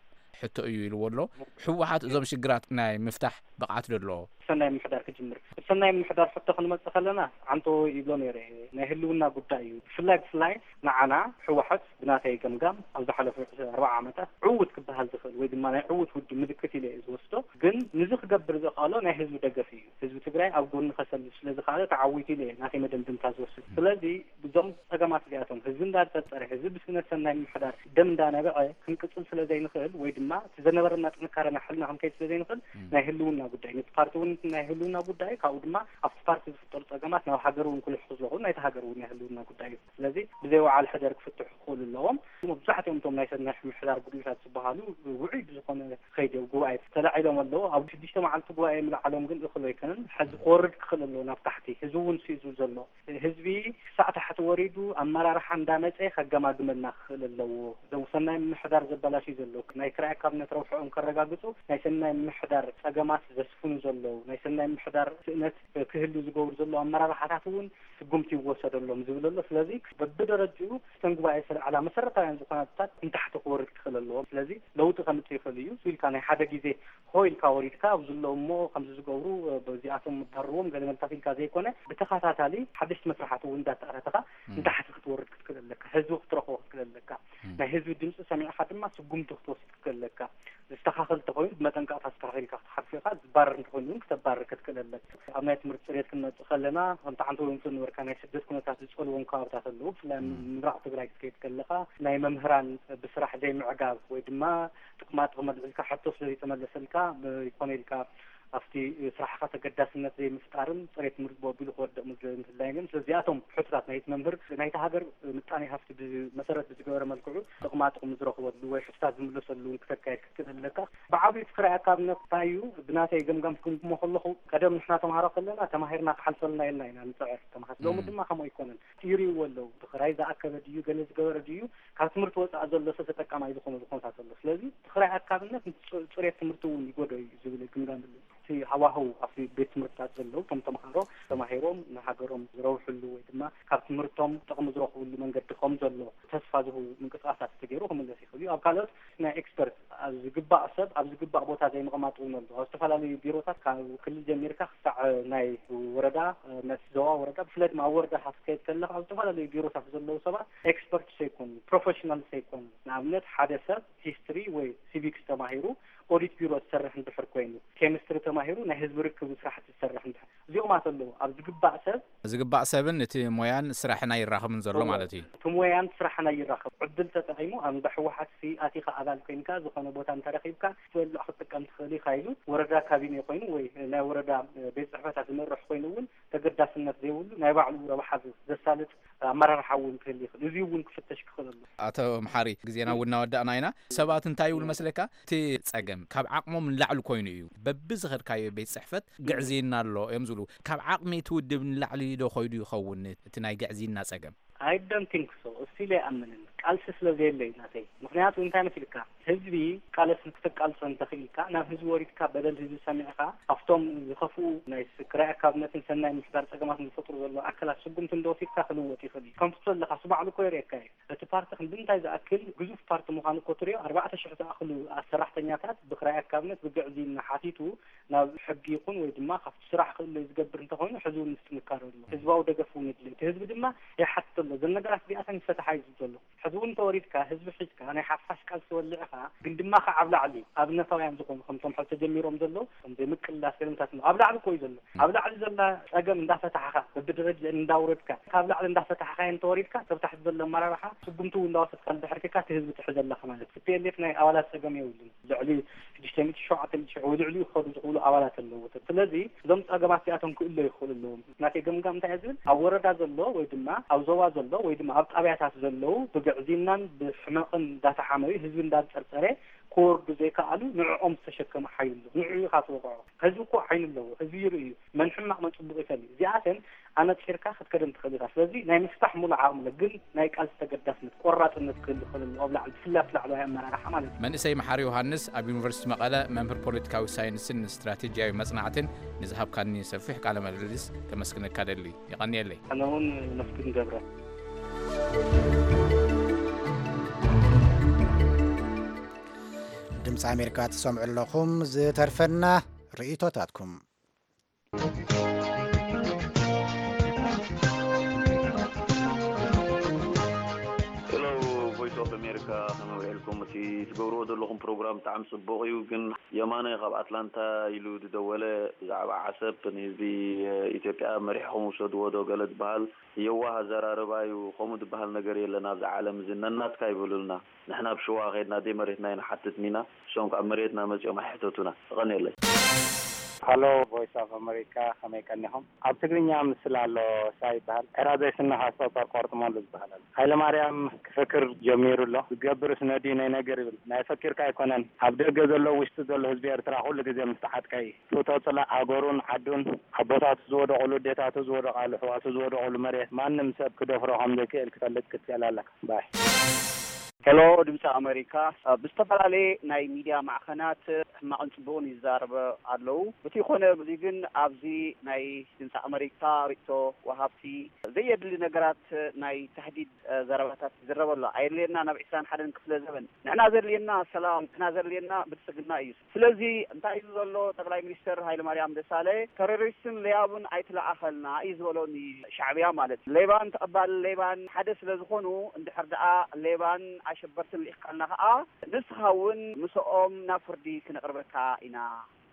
ሕቶ እዩ ኢልዎ ኣሎ። ህወሓት እዞም ሽግራት ናይ ምፍታሕ ብቕዓት ዶ ኣለዎ? ሰናይ ምሕዳር ክጅምር። ሰናይ ምሕዳር ሕቶ ክንመጽእ ከለና ዓንቶ ይብሎ ነይረ። ናይ ህልውና ጉዳይ እዩ። ብፍላይ፣ ብፍላይ ንዓና ህወሓት ብናተይ ገምጋም ኣብ ዝሓለፉ ኣርባዓ ዓመታት ዕዉት ክበሃል ዝኽእል ወይ ድማ ናይ ዕዉት ውድብ ምልክት ኢለ እየ ዝወስዶ። ግን ንዚ ክገብር ዘኽኣሎ ናይ ህዝቢ ደገፍ እዩ። ህዝቢ ትግራይ ኣብ ጎኒ ከሰልፍ ስለ ዝኸኣለ ተዓዊቱ ኢለ እየ ናተይ መደምደምታ ዝወስድ። ስለዚ ብዞም ጸገማት እዚኣቶም ህዝቢ እንዳጸጸረ፣ ህዝቢ ብስነ ሰናይ ምሕዳር ደም እንዳነበዐ ክንቅጽል ስለ ዘይንኽእል ወይ ድማ እቲ ዘነበረና ጥንካረና ሕልና ክንከይድ ስለ ዘይንኽእል ናይ ህልውና ጉዳይ ነቲ ፓርቲ እውን ናይ ህልውና ጉዳይ ካብኡ ድማ ኣብቲ ፓርቲ ዝፍጠሩ ጸገማት ናብ ሃገር እውን ክልሕኹ ስለኹ ናይቲ ሃገር እውን ናይ ህልውና ጉዳይ እዩ። ስለዚ ብዘይ ወዓል ሕደር ክፍትሑ ክኽእሉ ኣለዎም። መብዛሕትኦም እቶም ናይ ሰናይ ምሕዳር ጉድለታት ዝበሃሉ ውዑይ ብዝኾነ ከይዲ ጉባኤ ተላዒሎም ኣለዉ። ኣብ ሽዱሽተ መዓልቲ ጉባኤ ምልዓሎም ግን እኽል ኣይኮነን። ሕዚ ክወርድ ክኽእል ኣለዎ ናብ ታሕቲ። ህዝቢ እውን ስኢዙ ዘሎ ህዝቢ ክሳዕ ታሕቲ ወሪዱ ኣመራርሓ እንዳመፀ ከገማግመልና ክኽእል ኣለዎ። እዞም ሰናይ ምሕዳር ዘበላሽዩ ዘለዉ ናይ ክራይ ካብነት ረብሕኦም ከረጋግፁ ናይ ሰናይ ምሕዳር ፀገማት ዘስፍኑ ዘለዉ ናይ ሰናይ ምሕዳር ስእነት ክህሉ ዝገብሩ ዘለዉ ኣመራርሓታት እውን ስጉምቲ ይወሰደሎም ዝብል ኣሎ። ስለዚ በብደረጅኡ እተን ጉባኤ ዝተልዓላ መሰረታውያን ዝኾና ነጥብታት ንታሕቲ ክወርድ ክኽእል ኣለዎ። ስለዚ ለውጢ ከምፅእ ይኽእል እዩ ኢልካ ናይ ሓደ ግዜ ሆ ኢልካ ወሪድካ ኣብዚ ኣለዉ እሞ ከምዚ ዝገብሩ በዚኣቶም ምባርርዎም ገለ መልታት ኢልካ ዘይኮነ ብተኸታታሊ ሓደሽቲ መስርሓት እውን እንዳተኣታተኻ ንታሕቲ ክትወርድ ክትክእል ኣለካ። ህዝቢ ክትረኽቦ ክትክእል ኣለካ። ናይ ህዝቢ ድምፂ ሰሚዕኻ ድማ ስጉምቲ ክትወስድ ክትክእል ኣለካ። ዝተኻኸል እንተኾይኑ ብመጠንቀቕታ ዝተኻኸል ኢልካ ክትሓልፎ ኢኻ። ዝባረር እንተኾይኑ እውን ክተባርር ክትክእል ኣለካ። ኣብ ናይ ትምህርቲ ፅሬት ክንመፅእ ከለና ከምቲ ዓንተ ወይምቱ ነበርካ ናይ ስደት ኩነታት ዝፀልዎም ከባብታት ኣለዉ። ብፍላይ ምብራቕ ትግራይ ክትከይድ ከለኻ ናይ መምህራን ብስራሕ ዘይምዕጋብ ወይ ድማ ጥቕማ ጥቕሚ ኣልዒልካ ሕቶ ስለ ዘይተመለሰልካ ይኮነ ኢልካ ኣብቲ ስራሕኻ ተገዳስነት ዘይምፍጣርን ፅሬት ትምህርቲ ብወቢሉ ክወድቕ ምድላይን እዮም። ስለዚኣቶም ሕቶታት ናይቲ መምህር ናይቲ ሃገር ምጣኔ ሃፍቲ መሰረት ብዝገበረ መልክዑ ጥቕማ ጥቕሚ ዝረኽበሉ ወይ ሕቶታት ዝምለሰሉ እውን ክተካየድ ክትክእል ኣለካ። ብዓብዩ እቲ ክራይ ኣካብነት እንታይ እዩ ብናተይ ገምጋም ክግምግሞ ከለኹ ቀደም ንሕና ተምሃሮ ከለና ተማሂርና ክሓልፈልና ኢልና ኢና ንፅዕር ተምሃር ሎሚ ድማ ከምኡ ኣይኮነን። ይርእይዎ ኣለዉ። ብኽራይ ዝኣከበ ድዩ ገለ ዝገበረ ድዩ ካብ ትምህርቲ ወፃኢ ዘሎ ሰብ ተጠቃማይ ዝኾነሉ ኩነታት ኣሎ። ስለዚ እቲ ክራይ ኣካብነት ጽሬት ትምህርቲ እውን ይጎዶ እዩ ዝብል ግምጋም ኣሎ። እቲ ሃዋህው ኣብቲ ቤት ትምህርትታት ዘለዉ ከም ተምሃሮ ተማሂሮም ንሃገሮም ዝረብሕሉ ወይ ድማ ካብ ትምህርቶም ጥቕሚ ዝረኽብሉ መንገዲ ከም ዘሎ ተስፋ ዝህቡ ምንቅስቃሳት ተገይሩ ክምለስ ይኽእል እዩ። ኣብ ካልኦት ናይ ኤክስፐርት ኣብ ዝግባእ ሰብ ኣብ ዝግባእ ቦታ ዘይምቕማጥ እውን ኣሎ። ኣብ ዝተፈላለዩ ቢሮታት ካብ ክልል ጀሚርካ ክሳዕ ናይ ወረዳ ናይ ዞባ ወረዳ ብፍላይ ድማ ኣብ ወረዳ ክትከይድ ከለካ ኣብ ዝተፈላለዩ ቢሮታት ዘለዉ ሰባት ኤክስፐርት ዘይኮኑ ፕሮፌሽናል ዘይኮኑ ንኣብነት ሓደ ሰብ ሂስትሪ ወይ ሲቪክስ ተማሂሩ ኦዲት ቢሮ ዝሰርሕ እንድሕር ኮይኑ ኬሚስትሪ ተማሂሩ ናይ ህዝቢ ርክብ ስራሕቲ ዝሰርሕ እንድሕር እዚኦማት ኣለዉ ኣብ ዝግባእ ሰብ ዝግባእ ሰብን እቲ ሞያን ስራሕን ኣይራኸብን ዘሎ ማለት እዩ። እቲ ሞያን ስራሕን ኣይራኸብ ዕድል ተጠቒሙ ኣብ እንዳ ህወሓት ሲ ኣቲኻ ኣባል ኮይንካ ዝኾነ ቦታ እንተረኺብካ ክትበልዕ ክትጥቀም ትኽእል ኢኻ ኢሉ ወረዳ ካቢኔ ኮይኑ ወይ ናይ ወረዳ ቤት ፅሕፈታት ዝመርሕ ኮይኑ እውን ተገዳስነት ዘይብሉ ናይ ባዕሉ ረብሓ ዘሳልጥ ኣመራርሓ እውን ክህል ይኽእል። እዚ እውን ክፍተሽ ክኽእል ኣሎ። ኣቶ መሓሪ ግዜና እውን እናወዳእና ኢና። ሰባት እንታይ ይብሉ መስለካ እቲ ፀገም ካብ ዓቕሞም ንላዕሊ ኮይኑ እዩ። በብዝኸድካዮ ቤት ፅሕፈት ግዕዝይና ኣሎ እዮም ዝብሉ። ካብ ዓቕሚ እቲ ውድብ ንላዕሊ ዶ ኾይዱ ይኸውን እቲ ናይ ግዕዝይና ጸገም? I don't think so። እስቲል ኣይኣምንን። ቃልሲ ስለ ዘየለ እዩ ናተይ። ምኽንያቱ እንታይ መሲልካ ህዝቢ ቃለስ ክትቃልሶ እንተኽኢልካ ናብ ህዝቢ ወሪድካ በደል ህዝቢ ሰሚዕኻ ካብቶም ዝኸፍኡ ናይ ክራይ ኣካብነትን ሰናይ ምሕዳር ጸገማትን ዝፈጥሩ ዘለዉ ኣካላት ስጉምቲ እንተወሲድካ ክልወጥ ይኽእል እዩ። ከምቲ ትብሎ ዘለኻስ ባዕሉ እኮ የርእየካ እዩ። እቲ ፓርቲ ክንዲ እንታይ ዝኣክል ግዙፍ ፓርቲ ምዃኑ እኮ ትሪኦ ኣርባዕተ ሽሕ ዝኣኽሉ ሰራሕተኛታት ብክራይ ኣካብነት ብግዕዝይና ሓቲቱ ናብ ሕጊ ይኹን ወይ ድማ ካብቲ ስራሕ ክእለዩ ዝገብር እንተኾይኑ ሕዚ እውን ምስ ጥንካረ ኣሎ። ህዝባዊ ደገፍ እውን የድልዮ። እቲ ህዝቢ ድማ ይሓትት ኣሎ። እዘን ነገራት እዚኣተን ይፈትሓ እዩ ዝብል ዘሎ። ሕዚ እውን እንተወሪድካ ህዝቢ ሒዝካ ናይ ሓፋሽ ቃልሲ ወሊዕኻ ግን ድማ ከዓ ኣብ ላዕሊ ኣብነታውያን ዝኾኑ ከምቶም ሕዚ ተጀሚሮም ዘለዉ ከም ዘይምቅላስ ገለምታት ኣብ ላዕሊ እኮ እዩ ዘሎ። ኣብ ላዕሊ ዘላ ፀገም እንዳፈታሕኻ በብደረጃ እንዳውረድካ ካብ ላዕሊ እንዳፈታሕኻዮ እንተወሪድካ ካብ ታሕቲ ዘሎ ኣመራርሓ ስጉምቲ እውን እንዳወሰድካ እንድሕር ኬድካ እቲ ህዝቢ ትሕዝ ኣለኻ ማለት እዩ። ቲፒኤልኤፍ ናይ ኣባላት ፀገም የብሉን። ልዕሊ ሽዱሽተ ሚእቲ ሸውዓተ ሚእቲ ሽሕ ወይ ልዕሊኡ ክኸዱ ዝኽእሉ ኣባላት ኣለዎ። ስለዚ እዞም ፀገማት እዚኣቶም ክእለዩ ይኽእሉ ኣለዎም። ናተይ ገምጋም እንታይ እየ ዝብል ኣብ ወረዳ ዘሎ ወይ ድማ ኣብ ዞባ ዘሎ ወይ ድማ ኣብ ጣብያታት ዘለዉ ብግዕዝይናን ብሕመቕን እንዳተሓመዩ ህዝቢ እንዳፀርፀረ ክወርዱ ዘይከኣሉ ንዕኦም ዝተሸከመ ሓይሊ ኣሎ። ንዕኡ ኢኻ ትወቕዖ። ህዝቢ እኮ ዓይኒ ኣለዎ። ህዝቢ ይርኢ እዩ። መን ሕማቕ መን ጽቡቕ ይፈልዩ። እዚኣተን ኣነጺርካ ክትከደን ትኽእል ኢኻ። ስለዚ ናይ ምፍታሕ ሙሉእ ዓቕሚ ኣሎ፣ ግን ናይ ቃልሲ ተገዳስነት፣ ቆራጽነት ክህሉ ክኽእል ኣለዎ ኣብ ላዕሊ፣ ብፍላይ ኣብቲ ላዕለዋይ ኣመራርሓ ማለት እዩ። መንእሰይ መሓሪ ዮሃንስ ኣብ ዩኒቨርሲቲ መቐለ መምህር ፖለቲካዊ ሳይንስን ስትራቴጂያዊ መጽናዕትን ንዝሃብካኒ ሰፊሕ ቃለ ምልልስ ከመስግነካ ደሊ። የቐንየለይ። ኣነ እውን ነመስግን ገብረ። ድምፂ ኣሜሪካ ትሰምዑ ኣለኹም። ዝተርፈና ርእይቶታትኩም። ሄሎ ቮይስ ኦፍ ኣሜሪካ፣ ከመይ ውዒልኩም? እቲ ትገብርዎ ዘለኹም ፕሮግራም ብጣዕሚ ጽቡቕ እዩ፣ ግን የማነ ካብ ኣትላንታ ኢሉ ዝደወለ ብዛዕባ ዓሰብ ንህዝቢ ኢትዮጵያ መሪሕኹም ውሰድዎ ዶ ገለ ዝበሃል የዋህ ኣዘራርባ እዩ። ከምኡ ዝበሃል ነገር የለን ኣብዚ ዓለም እዚ። ነናትካ ይበሉልና። ንሕና ኣብ ሽዋ ከይድና ደይ መሬትና ኢና ሓትት ኒና፣ እሶም ካብ መሬትና መጺኦም ኣይሕተቱና። ተቐንየለይ። ሃሎ፣ ቮይስ ኦፍ ኣመሪካ፣ ከመይ ቀኒኹም? ኣብ ትግርኛ ምስል ኣሎ፣ ሳ ይበሃል። ዕራ ዘይስነ ሃስቶ ፓርክ ቆርጥመሉ ዝበሃል ኣሎ። ሃይለ ማርያም ክፍክር ጀሚሩ ኣሎ። ዝገብርስ ነድዩ ናይ ነገር ይብል። ናይ ፈኪርካ ኣይኮነን። ኣብ ደገ ዘሎ፣ ውሽጢ ዘሎ ህዝቢ ኤርትራ ኩሉ ግዜ ምስ ተዓጥቀ እዩ። ፍቶ ጽላእ ሃገሩን ዓዱን፣ ኣቦታቱ ዝወደቑሉ፣ ኣዴታቱ ዝወደቓሉ፣ ኣሕዋቱ ዝወደቑሉ መሬት ማንም ሰብ ክደፍሮ ከም ዘይክእል ክፈልጥ ክትክእል ኣለካ። ባይ። ሄሎ፣ ድምፂ ኣመሪካ። ብዝተፈላለየ ናይ ሚድያ ማዕኸናት ሕማቕን ጽቡቕን ይዛረበ ኣለዉ። እቲ ይኾነ እዚ ግን ኣብዚ ናይ ድምፂ ኣመሪካ ርእቶ ወሃብቲ ዘየድሊ ነገራት ናይ ታህዲድ ዘረባታት ይዝረብ ኣሎ። ኣየድልየና ናብ ዕስራን ሓደን ክፍለ ዘበን። ንሕና ዘድልየና ሰላም፣ ንሕና ዘድልየና ብልጽግና እዩ። ስለዚ እንታይ እዩ ዘሎ? ጠቅላይ ሚኒስትር ሃይለማርያም ደሳለኝ ተሮሪስትን ለያቡን ኣይትለኣኸልና እዩ ዝበሎ ንሻዕብያ ማለት። ሌባን ተቐባሊ ሌባን ሓደ ስለ ዝኾኑ፣ እንድሕር ደኣ ሌባን ኣሸበርትን ልኢኽካልና ከኣ ንስኻ እውን ምስኦም ናብ ፍርዲ ክነቕርበካ ኢና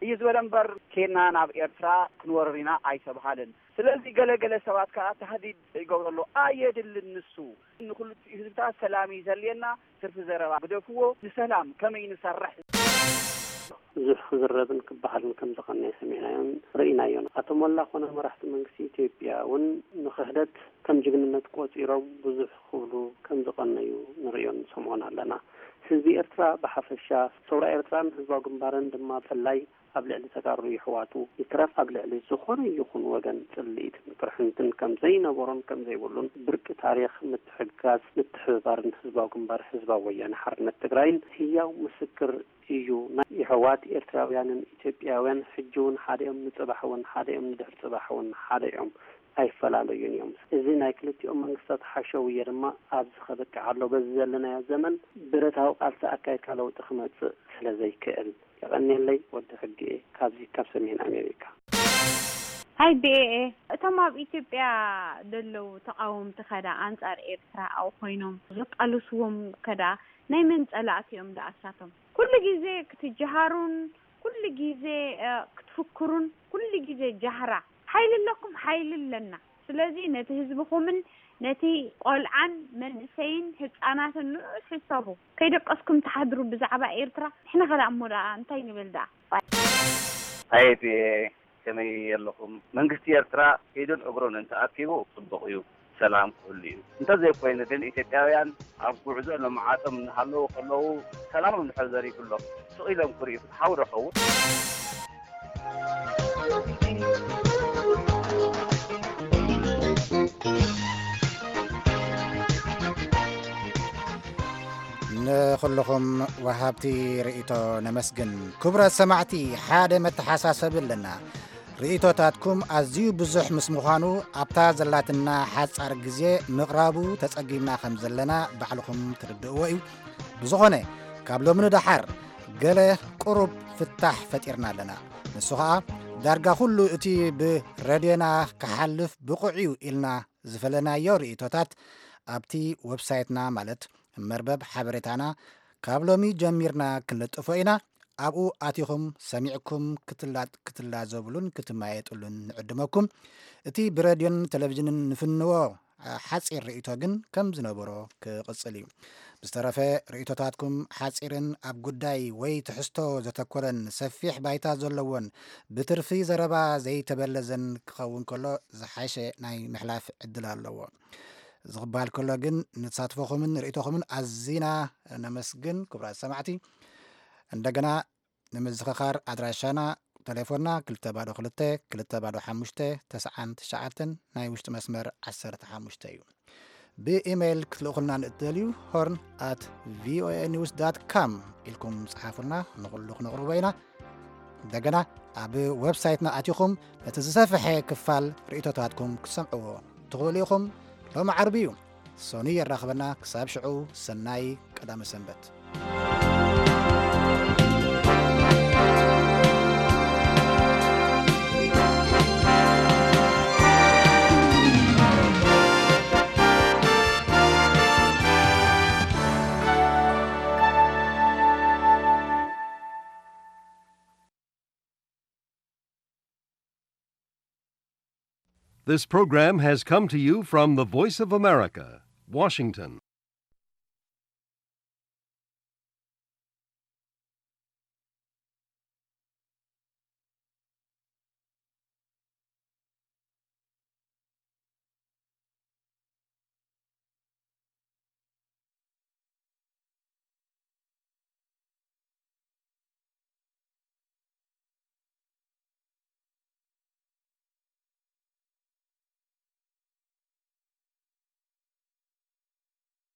እዩ ዝበለ እምበር፣ ኬንና ናብ ኤርትራ ክንወርር ኢና ኣይተብሃለን። ስለዚ ገለ ገለ ሰባት ከኣ ታህዲድ ይገብሩ ኣለዉ። ኣየድልን ንሱ። ንክልቲኡ ህዝብታት ሰላም እዩ ዘድልየና። ትርፊ ዘረባ ግደፍዎ። ንሰላም ከመይ ንሰርሕ? ብዙሕ ክዝረብን ክበሃልን ከም ዝቐነየ ሰሚዕናዮን ርኢናዮን። ኣቶ ሞላ ኮነ መራሕቲ መንግስቲ ኢትዮጵያ እውን ንክሕደት ከም ጅግንነት ቆጺሮም ብዙሕ ክብሉ ከም ዝቐነዩ ንርእዮን ንሰምዖን ኣለና። ህዝቢ ኤርትራ ብሓፈሻ፣ ሰውራ ኤርትራን ህዝባዊ ግንባርን ድማ ብፍላይ ኣብ ልዕሊ ተጋሩ የሕዋቱ ይትረፍ ኣብ ልዕሊ ዝኾነ ይኹን ወገን ጽልኢትን ቅርሕንትን ከም ዘይነበሮን ከም ዘይብሉን ብርቂ ታሪኽ ምትሕግጋዝ፣ ምትሕብባርን ህዝባዊ ግንባር ህዝባዊ ወያነ ሓርነት ትግራይን ህያው ምስክር እዩ። ናይ የሕዋት ኤርትራውያንን ኢትዮጵያውያን ሕጂ እውን ሓደ እዮም፣ ንጽባሕ እውን ሓደ እዮም፣ ንድሕሪ ጽባሕ እውን ሓደ እዮም። ኣይፈላለዩን እዮም። እዚ ናይ ክልቲኦም መንግስታት ሓሸውየ ድማ ኣብዚ ከብቅዕ ኣሎ። በዚ ዘለናዮ ዘመን ብረታዊ ቃልሲ ኣካይድካ ለውጢ ክመጽእ ስለ ዘይክእል። የቐንየለይ፣ ወዲ ሕጊ እየ፣ ካብዚ ካብ ሰሜን ኣሜሪካ። ሃይ ቢኤኤ፣ እቶም ኣብ ኢትዮጵያ ዘለዉ ተቓወምቲ ከዳ ኣንጻር ኤርትራ ኣብኡ ኮይኖም ዘቃልስዎም ከዳ ናይ መን ጸላእቲ እዮም ደኣ እሳቶም? ኩሉ ግዜ ክትጀሃሩን ኩሉ ግዜ እ፣ ክትፍክሩን ኩሉ ግዜ ጃህራ። ሓይሊ ኣለኩም፣ ሓይሊ ኣለና። ስለዚ ነቲ ህዝብኹምን ነቲ ቆልዓን መንእሰይን ህጻናትን ንዑ ሕሰቡ። ከይደቀስኩም ትሓድሩ ብዛዕባ ኤርትራ። ንሕና ከ ደኣ እሞ ደኣ እንታይ ንብል ደኣ? ኣየ ቢኤ፣ ከመይ ኣለኹም? መንግስቲ ኤርትራ ኢዱን እግሩን እንተኣኪቡ ጽቡቕ እዩ፣ ሰላም ክህሉ እዩ። እንተዘይኮይኑ ግን ኢትዮጵያውያን ኣብ ጉዕዞ ንመዓጾም እናሃለዉ ከለዉ ሰላሞም እንድሕር ዘሪጉሎም ስቕ ኢሎም ክርእዩ ፍትሓዊ ዶ ይኸውን? ንኹልኹም ወሃብቲ ርእይቶ ነመስግን። ክቡራት ሰማዕቲ፣ ሓደ መተሓሳሰቢ ኣለና። ርእይቶታትኩም ኣዝዩ ብዙሕ ምስ ምዃኑ ኣብታ ዘላትና ሓጻር ግዜ ምቕራቡ ተጸጊምና ከም ዘለና ባዕልኹም ትርድእዎ እዩ። ብዝኾነ ካብ ሎሚ ንደሓር ገለ ቁሩብ ፍታሕ ፈጢርና ኣለና። ንሱ ኸኣ ዳርጋ ኩሉ እቲ ብረድዮና ክሓልፍ ብቑዕ እዩ ኢልና ዝፈለናዮ ርእይቶታት ኣብቲ ወብሳይትና ማለት መርበብ ሓበሬታና ካብ ሎሚ ጀሚርና ክንልጥፎ ኢና። ኣብኡ ኣቲኹም ሰሚዕኩም ክትላ- ክትላዘብሉን ክትመያየጥሉን ንዕድመኩም። እቲ ብረድዮን ቴሌቪዥንን ንፍንዎ ሓጺር ርእይቶ ግን ከም ዝነበሮ ክቕጽል እዩ። ብዝተረፈ ርእይቶታትኩም ሓጺርን ኣብ ጉዳይ ወይ ትሕዝቶ ዘተኮረን ሰፊሕ ባይታ ዘለዎን ብትርፊ ዘረባ ዘይተበለዘን ክኸውን ከሎ ዝሓሸ ናይ ምሕላፍ ዕድል ኣለዎ። እዚ ክበሃል ከሎ ግን ንተሳትፎኹምን ርእይቶኹምን ኣዚና ነመስግን ክቡራት ሰማዕቲ። እንደገና ንምዝኽኻር ኣድራሻና ተሌፎንና ክልተ ባዶ ክልተ ክልተ ባዶ ሓሙሽተ ተስዓን ትሽዓተን ናይ ውሽጢ መስመር ዓሰርተ ሓሙሽተ እዩ። ብኢሜይል ክትልእኹልና ንእትደልዩ ሆርን ኣት ቪኦኤ ኒውስ ዳት ካም ኢልኩም ጽሓፉልና፣ ንኹሉ ክነቕርቦ ኢና። እንደገና ኣብ ዌብሳይትና ኣቲኹም ነቲ ዝሰፍሐ ክፋል ርእይቶታትኩም ክትሰምዕዎ ትኽእሉ ኢኹም። ሎሚ ዓርቢ እዩ። ሰኑይ የራኽበና። ክሳብ ሽዑ ሰናይ ቀዳመ ሰንበት። This program has come to you from the Voice of America, Washington.